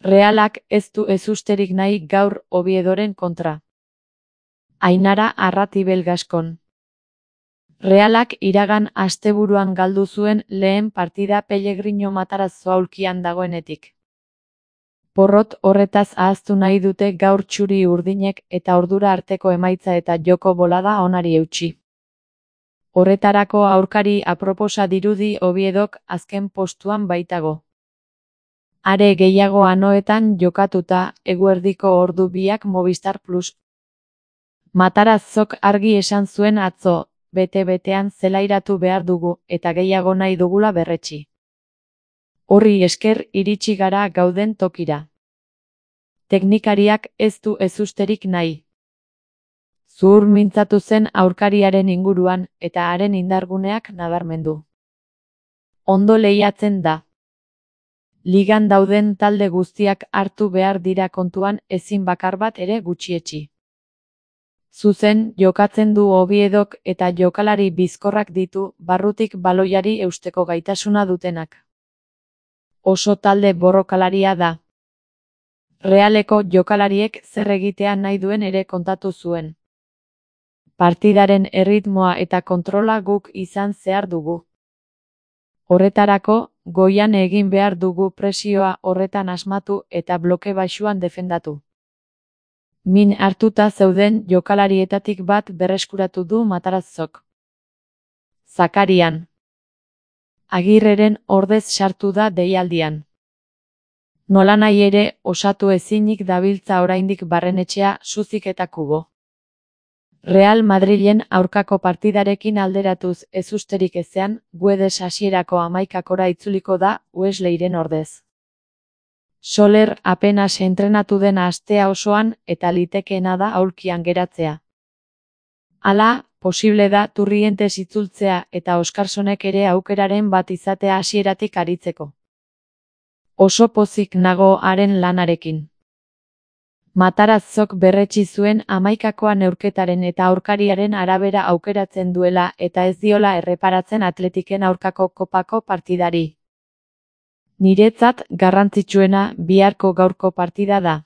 Realak ez du ezusterik nahi gaur Oviedoren kontra. Ainara Arratibel Gaskon. Realak iragan asteburuan galdu zuen lehen partida Pellegrino Matarazzo aulkian dagoenetik. Porrot horretaz ahaztu nahi dute gaur txuri urdinek eta ordura arteko emaitza eta joko bolada onari eutsi. Horretarako aurkari aproposa dirudi Oviedok azken postuan baitago. Are gehiago anoetan jokatuta, eguerdiko ordu biak Movistar Plus. Matarazzok argi esan zuen atzo, bete-betean zelairatu behar dugu eta gehiago nahi dugula berretsi. Horri esker iritsi gara gauden tokira. Teknikariak ez du ezusterik nahi. Zuhur mintzatu zen aurkariaren inguruan eta haren indarguneak nabarmendu. Ondo lehiatzen da. Ligan dauden talde guztiak hartu behar dira kontuan ezin bakar bat ere gutxietsi. Zuzen jokatzen du Oviedok eta jokalari bizkorrak ditu barrutik baloiari eusteko gaitasuna dutenak. Oso talde borrokalaria da. Realeko jokalariek zer egitea nahi duen ere kontatu zuen. Partidaren erritmoa eta kontrola guk izan zehar dugu. Horretarako, goian egin behar dugu presioa horretan asmatu eta bloke baxuan defendatu. Min hartuta zeuden jokalarietatik bat berreskuratu du Matarazzok. Zakarian. Agirreren ordez sartu da deialdian. Nolanahi ere, osatu ezinik dabiltza oraindik Barrenetxea, Suzik eta Kubo. Real Madrilen aurkako partidarekin alderatuz ezusterik ezean, Guedes hasierako 11kora itzuliko da Wesleyren ordez. Soler apenas entrenatu den astea osoan eta litekeena da aulkian geratzea. Hala, posible da Turrientes itzultzea eta Oskarsonek ere aukeraren bat izatea hasieratik aritzeko. Oso pozik nago haren lanarekin. Matarazzok berretsi zuen 11koa neurketaren eta aurkariaren arabera aukeratzen duela eta ez diola erreparatzen Atletiken aurkako kopako partidari. Niretzat garrantzitsuena biharko gaurko partida da.